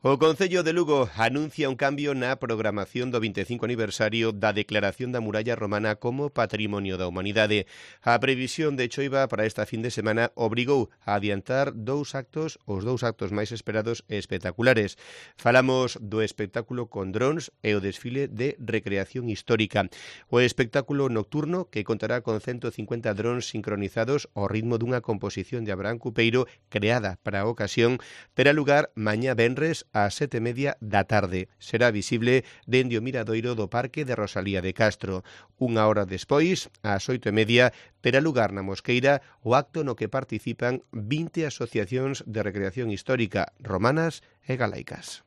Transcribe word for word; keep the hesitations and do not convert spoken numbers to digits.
O Concello de Lugo anuncia un cambio na programación do vinte e cinco aniversario da declaración da muralla romana como Patrimonio da Humanidade. A previsión de choiva para esta fin de semana obrigou a adiantar dous actos, os dous actos máis esperados e espectaculares. Falamos do espectáculo con drons e o desfile de recreación histórica. O espectáculo nocturno, que contará con ciento cincuenta drons sincronizados ao ritmo dunha composición de Abraham Cupeiro creada para a ocasión, terá lugar mañá venres ás sete e media da tarde. Será visible dende o miradoiro do Parque de Rosalía de Castro. Unha hora despois, ás oito e media, terá lugar na Mosqueira o acto no que participan vinte asociacións de recreación histórica romanas e galaicas.